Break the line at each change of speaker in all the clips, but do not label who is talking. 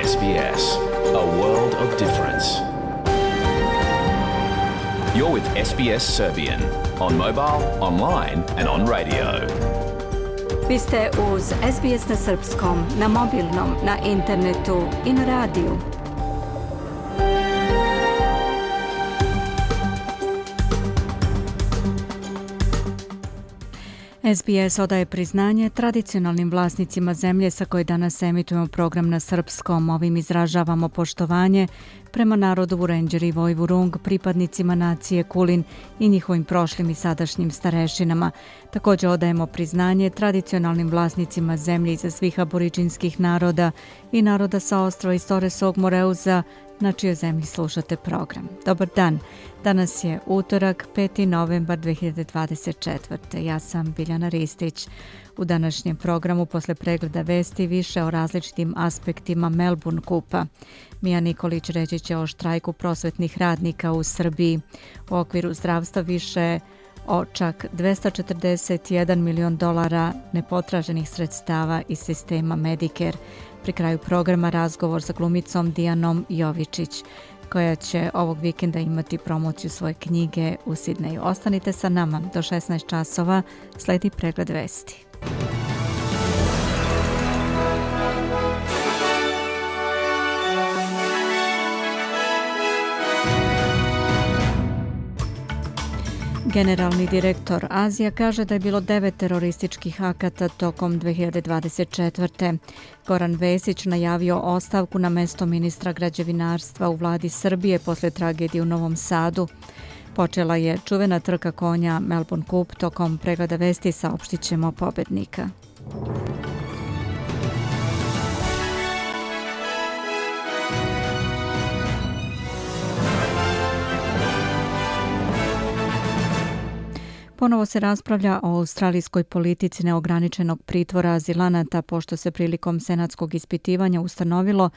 SBS, a world of difference. You're with SBS Serbian on mobile, online and on radio.
Vi ste uz SBS na srpskom, na mobilnom, na internetu i na radiju. SBS odaje priznanje tradicionalnim vlasnicima zemlje sa koje danas emitujemo program na srpskom. Ovim izražavamo poštovanje prema narodu Vurenđer i Vojvurung, pripadnicima nacije Kulin i njihovim prošlim i sadašnjim starešinama. Također odajemo priznanje tradicionalnim vlasnicima zemlje iza svih aboriđinskih naroda i naroda sa ostrva iz Toresog Moreuza, na čijoj zemlji slušate program. Dobar dan. Danas je utorak, 5. novembar 2024. Ja sam Biljana Ristić. U današnjem programu posle pregleda vesti više o različitim aspektima Melbourne Kupa. Mija Nikolić reći će o štrajku prosvetnih radnika u Srbiji. U okviru zdravstva više o čak $241 milion nepotraženih sredstava iz sistema Medicare. Pri kraju programa razgovor sa glumicom Dijanom Jovičić, koja će ovog vikenda imati promociju svoje knjige u Sidneju. Ostanite sa nama do 16 časova, sledi pregled vesti. Generalni direktor Azija kaže da je bilo 9 terorističkih akata tokom 2024. Goran Vesić najavio ostavku na mesto ministra građevinarstva u vladi Srbije posle tragedije u Novom Sadu. Počela je čuvena trka konja Melbourne Cup, tokom pregleda vesti saopštit ćemo pobednika. Ponovo se raspravlja o australijskoj politici neograničenog pritvora azilanata, pošto se prilikom senatskog ispitivanja ustanovilo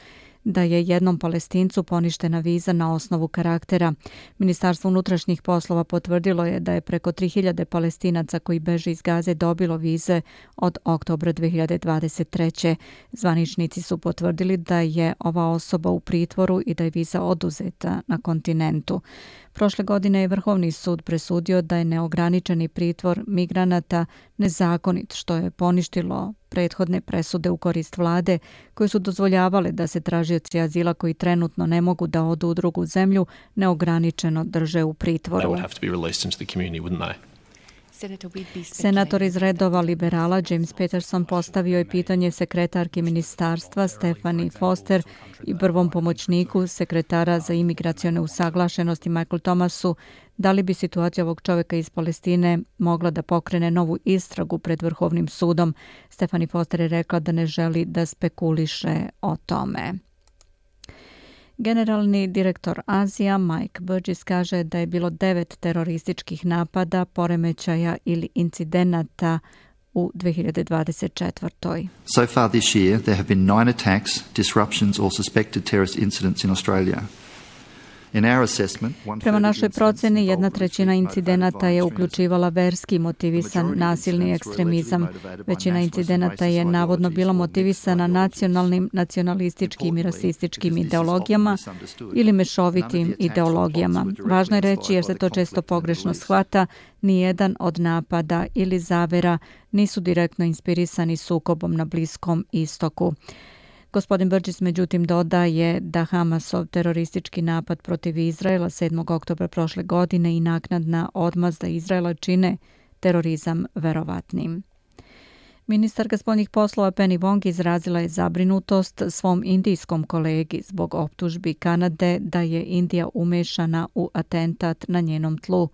da je jednom Palestincu poništena viza na osnovu karaktera. Ministarstvo unutrašnjih poslova potvrdilo je da je preko 3000 Palestinaca koji beže iz Gaze dobilo vize od oktobra 2023. Zvaničnici su potvrdili da je ova osoba u pritvoru i da je viza oduzeta na kontinentu. Prošle godine je Vrhovni sud presudio da je neograničeni pritvor migranata nezakonit, što je poništilo prethodne presude u korist vlade koje su dozvoljavale da se tražioci azila koji trenutno ne mogu da odu u drugu zemlju neograničeno drže u pritvoru. Senator iz redova liberala James Peterson postavio je pitanje sekretarki ministarstva Stephanie Foster i prvom pomoćniku sekretara za imigracione usaglašenosti Michael Thomasu da li bi situacija ovog čovjeka iz Palestine mogla da pokrene novu istragu pred Vrhovnim sudom. Stephanie Foster je rekla da ne želi da spekuliše o tome. Generalni direktor Azija Mike Burgess kaže da je bilo 9 terorističkih napada, poremećaja ili incidenata u 2024.
So far this year there have been 9 attacks, disruptions or suspected terrorist incidents in Australia.
Prema našoj proceni, 1/3 incidenata je uključivala verski motivisan nasilni ekstremizam. Većina incidenata je navodno bila motivisana nacionalnim, nacionalističkim i rasističkim ideologijama ili mešovitim ideologijama. Važno je reći, jer se to često pogrešno shvata, nijedan od napada ili zavera nisu direktno inspirisani sukobom na Bliskom istoku. Gospodin Burgess međutim dodaje da Hamasov teroristički napad protiv Izraela 7. oktobra prošle godine i naknadna odmazda Izraela čine terorizam verovatnim. Ministarka spoljnih poslova Penny Wong izrazila je zabrinutost svom indijskom kolegi zbog optužbi Kanade da je Indija umešana u atentat na njenom tlu.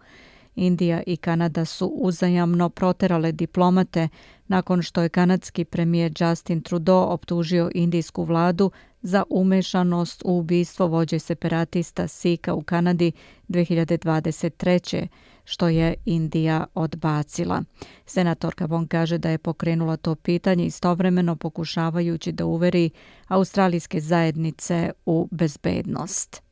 Indija i Kanada su uzajamno proterale diplomate nakon što je kanadski premijer Justin Trudeau optužio indijsku vladu za umešanost u ubistvo vođe separatista Sikha u Kanadi 2023. što je Indija odbacila. Senatorka Wong kaže da je pokrenula to pitanje istovremeno pokušavajući da uveri australijske zajednice u bezbednost.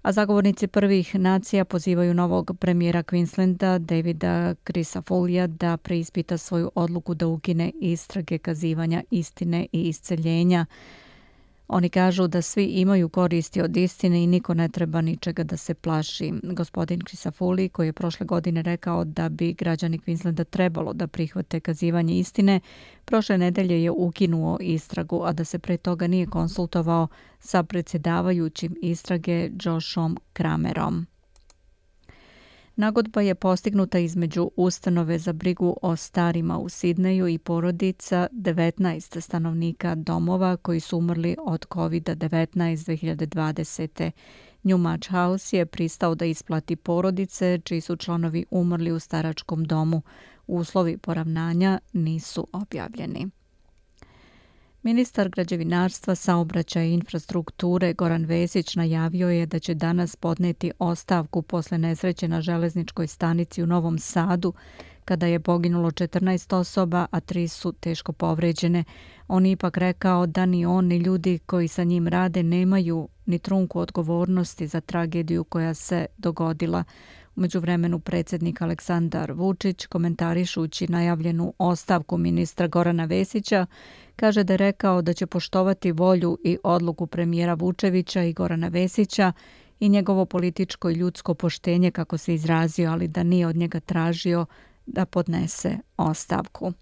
A zagovornici prvih nacija pozivaju novog premijera Queenslanda Davida Crisafullia da preispita svoju odluku da ukine istrage kazivanja istine i isceljenja Oni kažu da svi imaju koristi od istine i niko ne treba ničega da se plaši. Gospodin Crisafulli, koji je prošle godine rekao da bi građani Queenslanda trebalo da prihvate kazivanje istine, prošle nedelje je ukinuo istragu, a da se pre toga nije konsultovao sa predsjedavajućim istrage Joshom Kramerom. Nagodba je postignuta između ustanove za brigu o starima u Sidneju i porodica 19 stanovnika domova koji su umrli od COVID-19 2020. Newmarch House je pristao da isplati porodice čiji su članovi umrli u staračkom domu. Uslovi poravnanja nisu objavljeni. Ministar građevinarstva, saobraćaja i infrastrukture Goran Vesić najavio je da će danas podneti ostavku posle nesreće na železničkoj stanici u Novom Sadu, kada je poginulo 14 osoba, a 3 su teško povređene. On je ipak rekao da ni on ni ljudi koji sa njim rade nemaju ni trunku odgovornosti za tragediju koja se dogodila. U međuvremenu predsjednik Aleksandar Vučić, komentarišući najavljenu ostavku ministra Gorana Vesića, kaže da je rekao da će poštovati volju i odluku premijera Vučevića i Gorana Vesića i njegovo političko i ljudsko poštenje, kako se izrazio, ali da nije od njega tražio da podnese ostavku.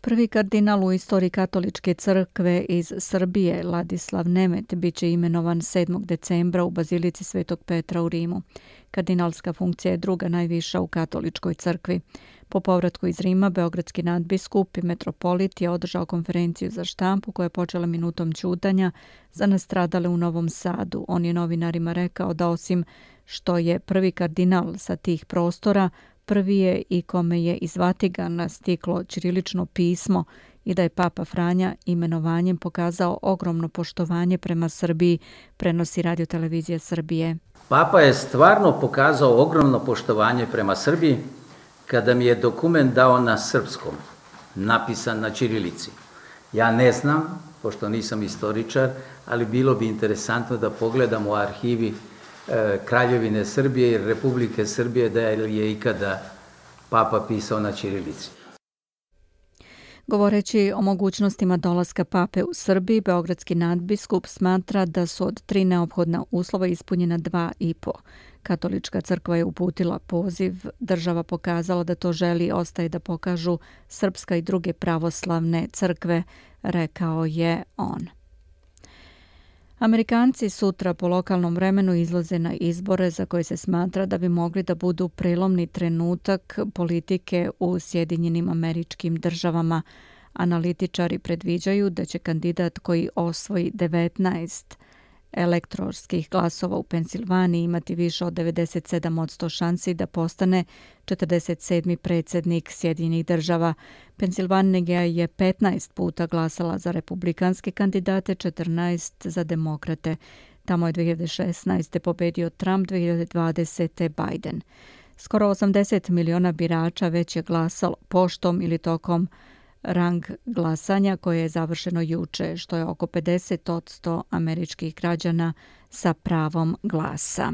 Prvi kardinal u istoriji katoličke crkve iz Srbije, Ladislav Nemet, bit će imenovan 7. decembra u Bazilici Svetog Petra u Rimu. Kardinalska funkcija je druga najviša u katoličkoj crkvi. Po povratku iz Rima, beogradski nadbiskup i metropolit je održao konferenciju za štampu koja je počela minutom ćutanja za nastradale u Novom Sadu. On je novinarima rekao da osim što je prvi kardinal sa tih prostora, prvi je i kome je iz Vatikana stiklo ćirilično pismo i da je Papa Franja imenovanjem pokazao ogromno poštovanje prema Srbiji, prenosi Radio-televizija Srbije.
Papa je stvarno pokazao ogromno poštovanje prema Srbiji kada mi je dokument dao na srpskom, napisan na ćirilici. Ja ne znam, pošto nisam istoričar, ali bilo bi interesantno da pogledam u arhivi Kraljevine Srbije i Republike Srbije da je ikada Papa pisao na ćirilici.
Govoreći o mogućnostima dolaska pape u Srbiji, beogradski nadbiskup smatra da su od 3 neophodna uslova ispunjena 2,5. Katolička crkva je uputila poziv, država pokazala da to želi, ostaje da pokažu srpska i druge pravoslavne crkve, rekao je on. Amerikanci sutra po lokalnom vremenu izlaze na izbore za koje se smatra da bi mogli da budu prelomni trenutak politike u Sjedinjenim Američkim Državama. Analitičari predviđaju da će kandidat koji osvoji 19 elektorskih glasova u Pensilvaniji imati više od 97% šansi da postane 47. predsjednik Sjedinjenih Država. Pensilvanija je 15 puta glasala za republikanske kandidate, 14 za demokrate. Tamo je 2016. pobedio Trump, 2020. Biden. Skoro 80 miliona birača već je glasalo poštom ili tokom rang glasanja koje je završeno juče, što je oko 50% američkih građana sa pravom glasa.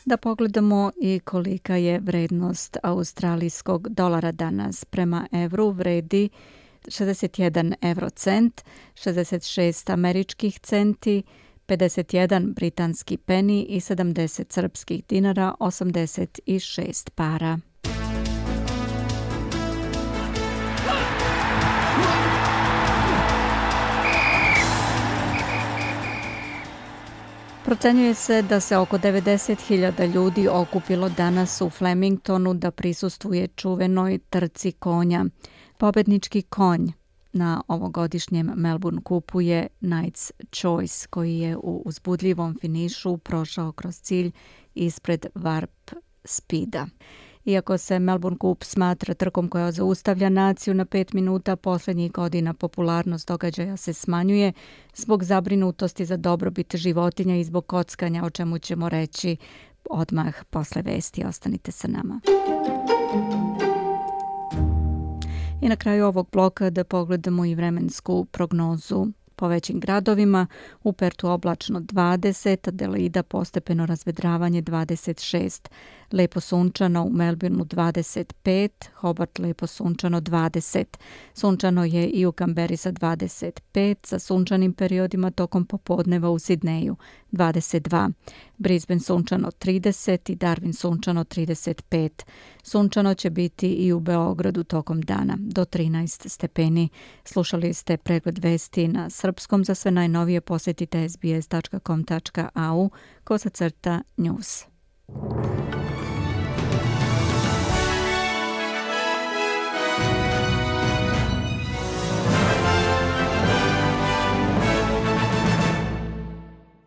Da pogledamo i kolika je vrednost australijskog dolara danas. Prema evru vredi 61 eurocent, 66 američkih centi, 51 britanski peni i 70 srpskih dinara, 86 para. Procenjuje se da se oko 90.000 ljudi okupilo danas u Flemingtonu da prisustvuje čuvenoj trci konja. Pobednički konj na ovogodišnjem Melbourne kupu je Knight's Choice, koji je u uzbudljivom finišu prošao kroz cilj ispred Warp Speeda. Iako se Melbourne kup smatra trkom koja zaustavlja naciju na 5 minuta, posljednjih godina popularnost događaja se smanjuje zbog zabrinutosti za dobrobit životinja i zbog kockanja, o čemu ćemo reći odmah posle vesti. Ostanite sa nama. I na kraju ovog bloka da pogledamo i vremensku prognozu. po većim gradovima, u Pertu oblačno 20, Adelaida postepeno razvedravanje 26, lepo sunčano u Melbourneu 25, Hobart lepo sunčano 20. Sunčano je i u Kamberi sa 25, sa sunčanim periodima tokom popodneva u Sidneju 22, Brisbane sunčano 30 i Darwin sunčano 35. Sunčano će biti i u Beogradu tokom dana do 13 stepeni. Slušali ste pregled vesti na srpskom. Za sve najnovije posjetite sbs.com.au/news.